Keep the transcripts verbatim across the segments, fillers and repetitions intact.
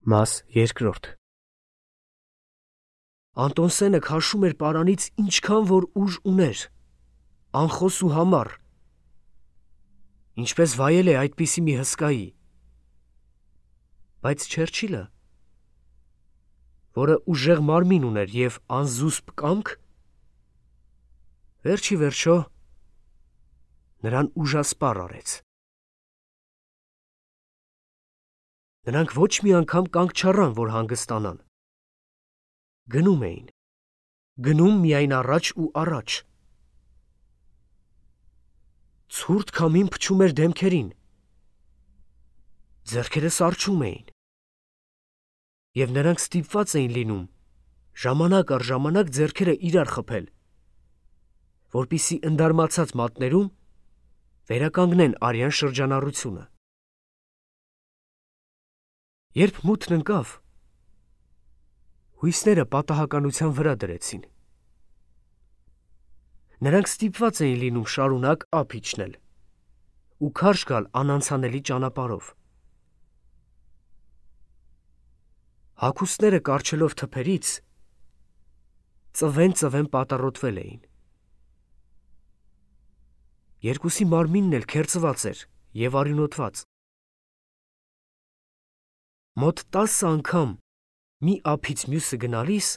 Մաս երկրորդ Անտոնսենը քաշում էր պարանից ինչքան որ ուժ ուներ, անխոս ու համառ, ինչպես վայել է այդպիսի մի հսկայի, բայց Չերչիլը, որը ուժեղ մարմին ուներ և անզուսպ կամք, վերջի վերջո նրան ուժասպառ արեց։ Նրանք ոչ մի անգամ կանգ չառան, որ հանգստանան։ Գնում էին, գնում միայն առաջ ու առաջ։ Ցուրտ քամին փչում էր դեմքերին, ձեռքերը սառչում էին, և նրանք ստիպված էին լինում ժամանակ առ ժամանակ ձեռքերը իրար խփել, որպեսզի ընդարմացած մատներում վերականգնեն արյան շրջանառությունը։ Երբ մութն ընկավ, հույսները պատահականության վրա դրեցին։ Նրանք ստիպված էին լինում շարունակ ափ իջնել ու քարշ գալ անանցանելի ճանապարհով։ Հագուստները կառչելով թփերից, ծվեն-ծվեն պատառոտվել էին։ Երկուսի մարմինն էլ քերծված էր և արյունոտված։ Մոտ տասը անգամ մի ափից մյուսը գնալիս,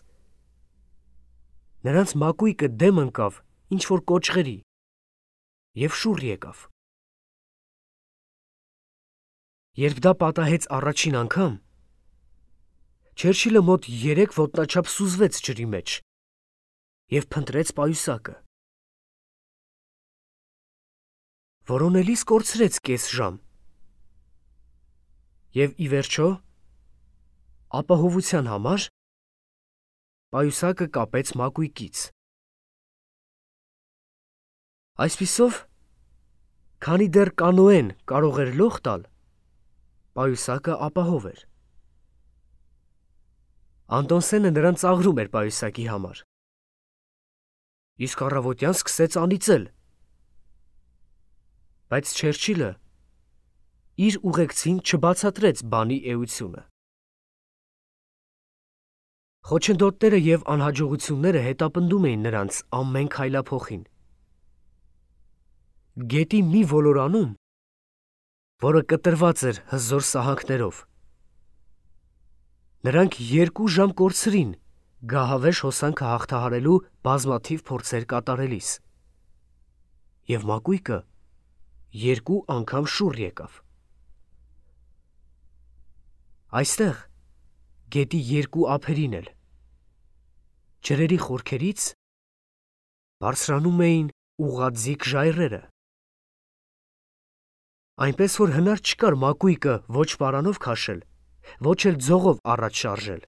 նրանց մակույկը դեմ ընկավ ինչ-որ կոճղերի և շուռ եկավ։ Երբ դա պատահեց առաջին անգամ, Չերչիլը մոտ երեք ոտնաչափ սուզվեց ջրի մեջ և փնտրեց պայուսակը։ Որոնելիս կորցրեց կես ժամ և ի վերջո, ապահովության համար, պայուսակը կապեց մակույկից։ Այսպիսով, քանի դեռ կանոեն կարող էր լող տալ, պայուսակը ապահով էր։ Անտոնսենը նրան ծաղրում էր պայուսակի համար, իսկ առավոտյան սկսեց անիծել, բայց Չերչիլը իր ուղեկցին չբացատրեց բանի էությունը։ Խոչընդոտները և անհաջողությունները հետապնդում էին նրանց ամեն քայլափոխին։ Գետի մի ոլորանում, որը կտրված էր հզոր սահանքներով, նրանք երկու ժամ կորցրին գահավեժ հոսանքը հաղթահարելու բազմաթիվ փորձեր կատարելիս, և մակույկը երկու անգամ շուռ եկավ։ Այստեղ, գետի երկու ափերին էլ, ջրերի խորքերից բարձրանում էին ուղղաձիգ ժայռերը, այնպես որ հնար չկար մակույկը ոչ պարանով քաշել, ոչ էլ ձողով առաջ շարժել։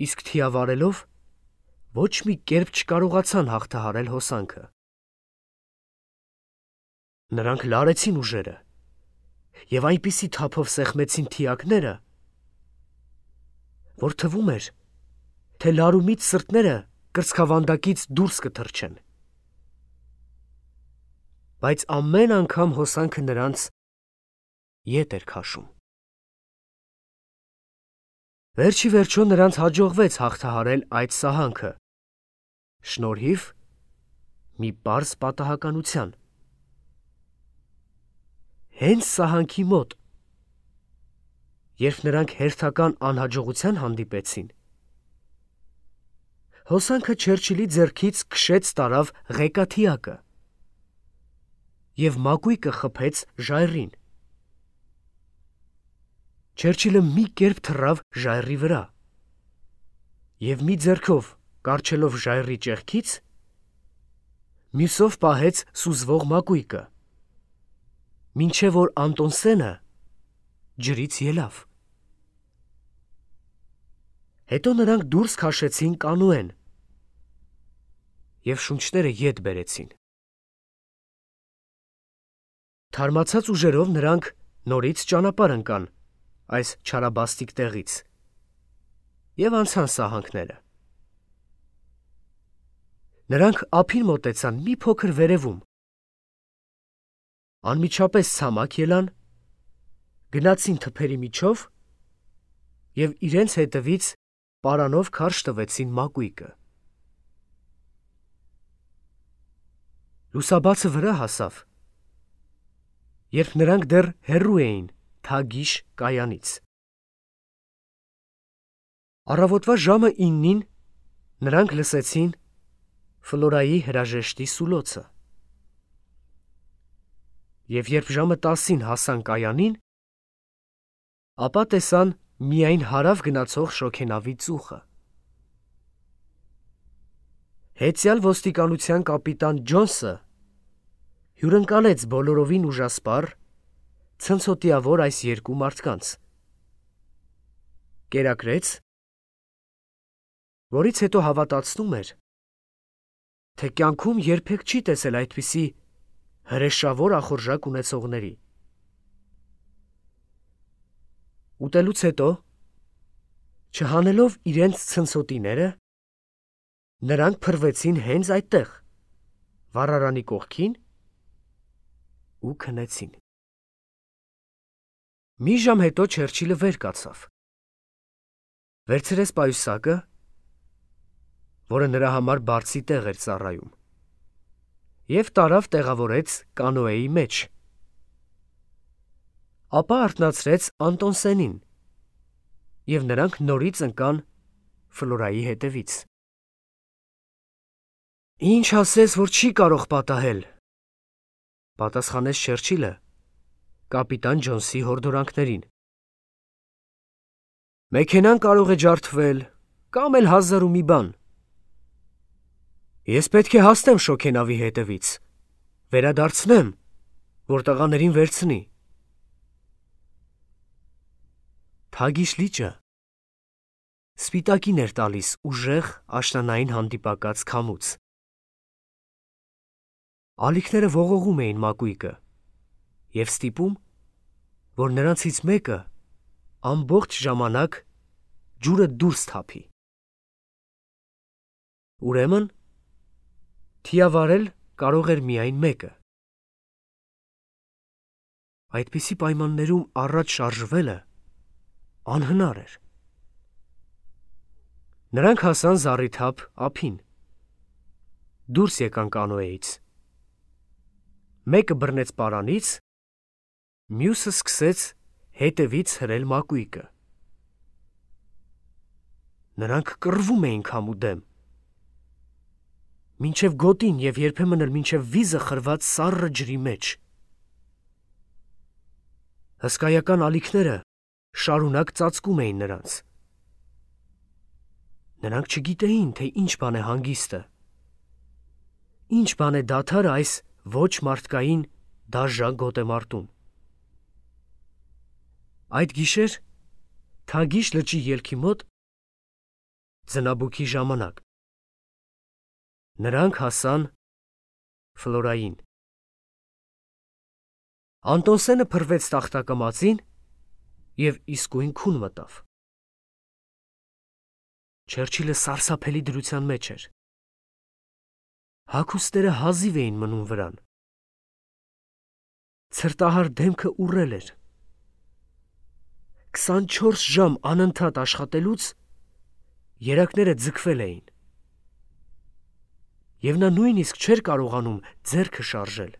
Իսկ թիավարելով ոչ մի կերպ չկարողացան հաղթահարել հոսանքը։ Նրանք լարեցին ուժերը և այնպիսի թափով սեղմեցին թիակները, որ թվում էր, թե լարումից սրտները կրծքավանդակից դուրս կթռչեն։ Բայց ամեն անգամ հոսանքը նրանց ետ էր քաշում։ Վերջի վերջո նրանց հաջողվեց հաղթահարել այդ սահանքը, շնորհիվ մի պարզ պատահականության։ Հենց սահանքի մոտ, երբ նրանք հերթական անհաջողության հանդիպեցին, հոսանքը Չերչիլի ձեռքից քշեց տարավ ղեկաթիակը և մակույկը խփեց ժայռին։ Չերչիլը մի կերպ թռավ ժայռի վրա և մի ձեռքով կառչելով ժայռի ճեղքից, մյուսով պահեց սուզվող մակույկը, մինչև որ Անտոնսենը ջրից ելավ։ Հետո նրանք դուրս քաշեցին կանոեն և շունչները ետ բերեցին։ Թարմացած ուժերով նրանք նորից ճանապարհ ընկան այս չարաբաստիկ տեղից և անցան սահանքները։ Նրանք ափին մոտեցան մի փոքր վերևում, անմիջապես ցամաք ելան, գնացին թփերի միջով և իրենց հետևից պարանով քարշ տվեցին մակույկը։ Լուսաբացը վրա հասավ, երբ նրանք դեռ հեռու էին Թագիշ կայանից։ Առավոտվա ժամը իննին նրանք լսեցին Ֆլորայի հրաժեշտի սուլոցը։ Եվ երբ ժամը տասին հասան կայանին, ապա տեսան միայն հարավ գնացող շոգենավի ծուխը։ Հեծյալ ոստիկանության կապիտան Ջոնսը հյուրընկալեց բոլորովին ուժասպառ, ցնցոտիավոր այս երկու մարդկանց, կերակրեց, որից հետո հավատացնում էր, թե կյանքում երբեք չի տեսել այդպիսի հրեշավոր ախորժակ ունեցողների։ Ուտելուց հետո, չհանելով իրենց ցնցոտիները, նրանք փռվեցին հենց այդտեղ, վառարանի կողքին ու քնեցին։ Մի ժամ հետո Չերչիլը վեր կացավ, վերցրեց պայուսակը, որը նրա համար բարձի տեղ էր ծառայում, և տարավ տեղավորեց կանոեի մեջ, ապա արթնացրեց Անտոնսենին, և նրանք նորից ընկան Ֆլորայի հետևից։ «Ինչ ասես, որ չի կարող պատահել», պատասխանեց Չերչիլը կապիտան Ջոնսի հորդորանքներին։ «Մեքենան կարող է ջարդվել, կամ էլ հազար ու մի բան։ Ես պետք է հասնեմ շոգենավի հետևից, վերադարձնեմ, որ տղաներին վերցնի»։ Թագիշ լիճը սպիտակին էր տալիս ուժեղ աշնանային հանդիպակաց քամուց։ Ալիքները ողողում էին մակույկը և ստիպում, որ նրանցից մեկը ամբողջ ժամանակ ջուրը դուրս թափի։ Ուրեմն, թիավարել կարող էր միայն մեկը։ Այդպիսի պայմաններում առաջ շարժվելը անհնար էր։ Նրանք հասան զառիթափ ափին, դուրս եկան կանոեից։ Մեկը բռնեց պարանից, մյուսը սկսեց հետևից հրել մակույկը։ Նրանք կռվում էին քամու դեմ, մինչև գոտին և երբեմն էլ մինչև վիզը խրված սառը ջրի մեջ։ Հսկայական ալիքները շարունակ ծածկում էին նրանց։ Նրանք չգիտեին, թե ինչ բան է հանգիստը, ինչ բան է դադարը այս ոչ մարդկային դաժան գոտեմարտում։ Այդ գիշեր Թագիշ լճի ելքի մոտ ձնաբուքի ժամանակ նրանք հասան Ֆլորային։ Անտոնսենը փռվեց տախտակամածին և իսկույն քուն մտավ։ Չերչիլը սարսափելի դրության մեջ էր։ Հագուստները հազիվ էին մնում վրան։ Ցրտահար դեմքը ուռել էր։ քսանչորս ժամ անընդհատ աշխատելուց երակները ձգվել էին, և նա նույնիսկ չէր կարողանում ձեռքը շարժել։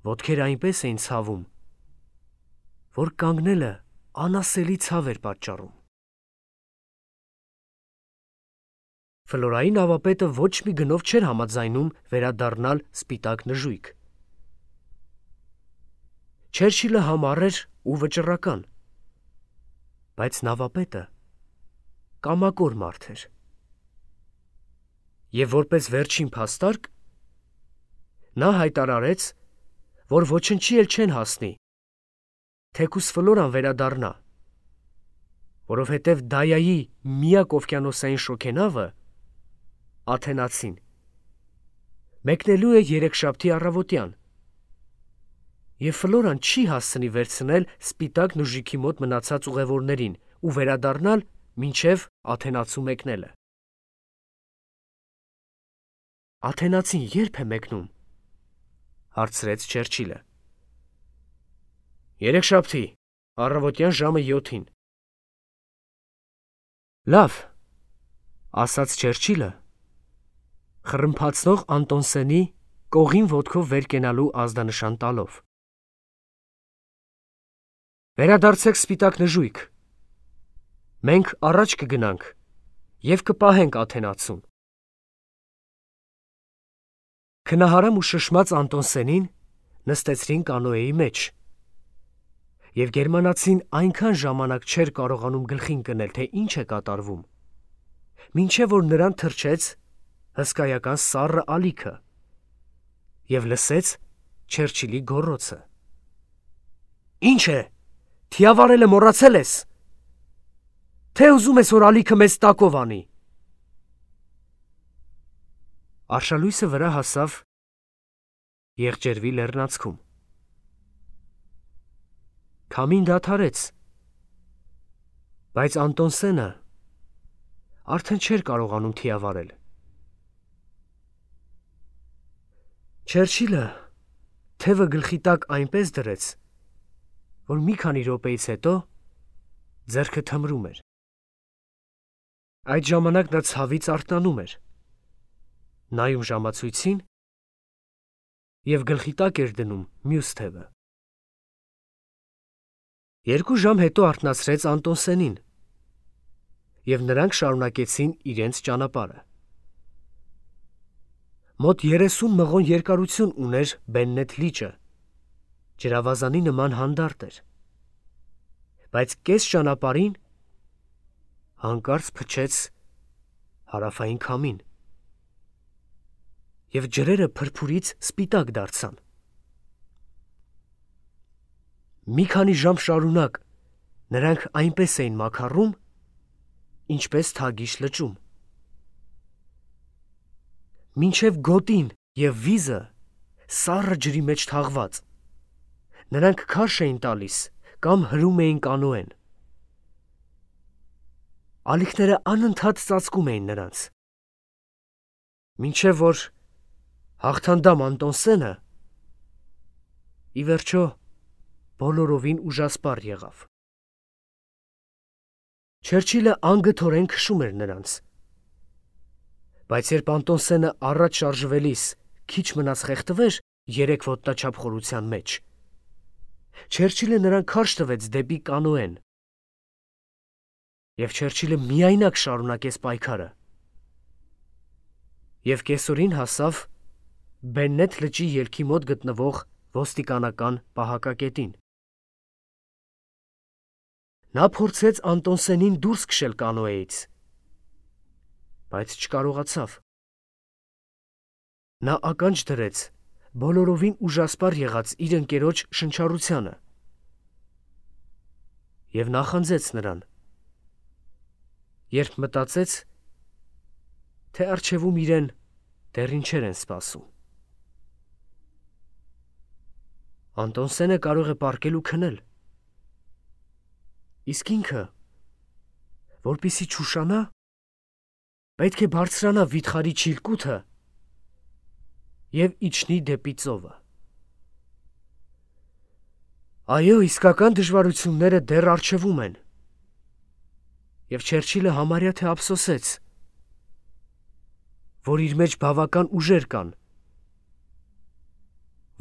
Ոտքերը այնպես էին ցավում, որ կանգնելը անասելի ցավ էր պատճառում։ Ֆլորայի նավապետը ոչ մի գնով չէր համաձայնում վերադառնալ սպիտակ նժույգ։ Չերչիլը համառ էր ու վճռական, բայց նավապետը կամակոր մարդ էր։ Եվ որպես վերջին փաստարկ նա հայտարարեց, որ ոչնչի էլ չեն հասնի, թեկուզ Ֆլորան վերադառնա, որովհետև Դայայի միակ օվկիանոսային շոգենավը՝ Աթենացին, մեկնելու է երեքշաբթի առավոտյան, և Ֆլորան չի հասցնի վերցնել սպիտակ նժույգի մոտ մնացած ուղևորներին ու վերադառնալ մինչև Աթենացու մեկնելը։ Աթենացին ե՞րբ է մեկնում, հարցրեց Չերչիլը։ Երեքշաբթի, առավոտյան ժամը յոթին։ Լավ, ասաց Չերչիլը, խռմփացնող Անտոնսենի կողին ոտքով վեր կենալու ազդանշան տալով։ Վերադարձեք սպիտակ նժույգ։ Մենք առաջ կգնանք և կպահենք Աթենացուն։ Քնահարամ ու շշմած Անտոնսենին նստեցրին կանոեի մեջ, և գերմանացին այնքան ժամանակ չէր կարողանում գլխին կնել, թե ինչ է կատարվում, մինչև որ նրան թրջեց հսկայական սառը ալիքը և լսեց Չերչիլի գոռոցը. «Ինչ է, թիավարելը մոռացել ես, թե ուզում ես, որ ալիքը մեզ տակով անի»։ Արշալույսը վրա հասավ Եղջերվի լեռնանցքում։ Քամին դադարեց, բայց Անտոնսենը արդեն չէր կարողանում թիավարել։ Չերչիլը թևը գլխի տակ այնպես դրեց, որ մի քանի րոպեից հետո ձեռքը թմրում էր։ Այդ ժամանակ նա ցավից արթնանում էր, նայում ժամացույցին և գլխի տակ էր դնում մյուս թևը։ Երկու ժամ հետո արթնացրեց Անտոնսենին, և նրանք շարունակեցին իրենց ճանապարհը։ Մոտ երեսուն մղոն երկարություն ուներ Բեննեթ լիճը, ջրավազանի նման հանդարտ էր, բայց կես ճանապարհին հանկարծ փչեց հարավային քամին, և ջրերը փրփուրից սպիտակ դարձան։ Մի քանի ժամ շարունակ նրանք այնպես էին մաքառում, ինչպես Թագիշ լճում։ Մինչև գոտին և վիզը սառը ջրի մեջ թաղված, նրանք քարշ էին տալիս կամ հրում էին կանոեն։ Ալիքները անընդհատ ծածկում էին նրանց, մինչև որ հաղթանդամ Անտոնսենը ի վերջո բոլորովին ուժասպառ եղավ։ Չերչիլը անգթորեն քշում էր նրանց, բայց երբ Անտոնսենը առաջ շարժվելիս քիչ մնաց խեղդվեր երեք ոտնաչափ խորության մեջ, Չերչիլը նրան քարշ տվեց դեպի կանոեն, և Չերչիլը միայնակ շարունակեց պայքարը և կեսօրին հասավ Բեննեթ լճի ելքի մոտ գտնվող ոստիկանական պահակակետին։ Նա փորձեց Անտոնսենին դուրս քշել կանոեից, բայց չկարողացավ։ Նա ականջ դրեց բոլորովին ուժասպառ եղած իր ընկերոջ շնչառությանը և նախանձեց նրան, երբ մտածեց, թե առջևում իրեն դեռ ինչեր են սպասում։ Անտոնսենը կարող է պառկել ու քնել, իսկ ինքը, որպեսզի չուշանա, պետք է բարձրանա վիթխարի չիլկութը և իջնի դեպի ծովը։ Այո, իսկական դժվարությունները դեռ առջևում են, և Չերչիլը համարյա թե ափսոսեց, որ իր մեջ բավական ուժեր կան,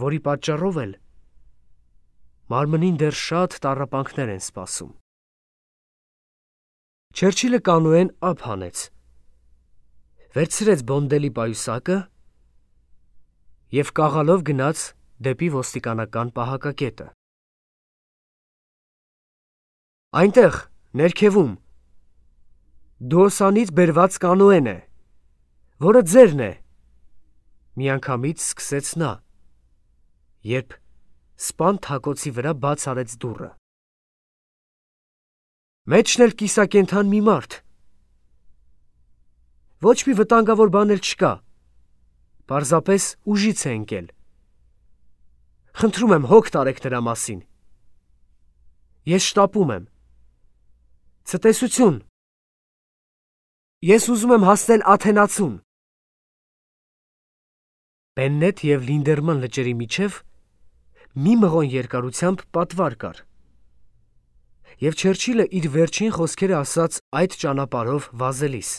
որի պատճառով էլ մարմնին դեռ շատ տառապանքներ են սպասում։ Չերչիլը կանոեն ափ հանեց, վերցրեց բոնդելի պայուսակը և կաղալով գնաց դեպի ոստիկանական պահակակետը։ Այնտեղ, ներքևում, Դուոսանից բերված կանոեն է, որը ձերն է, միանգամից սկսեց նա, երբ սպան թակոցի վրա բաց արեց դուռը։ Մեջն էլ կիսակենդան մի մարդ։ Ոչ մի վտանգավոր բան էլ չկա, պարզապես ուժից է ընկել։ Խնդրում եմ, հոգ տարեք նրա մասին։ Ես շտապում եմ։ Ցտեսություն։ Ես ուզում եմ հասնել Աթենացուն։ Բեննեթ և Լինդերման լճերի միջև մի մղոն երկարությամբ պատվար կար։ Եվ Չերչիլը իր վերջին խոսքերը ասաց այդ ճանապարհով վազելիս։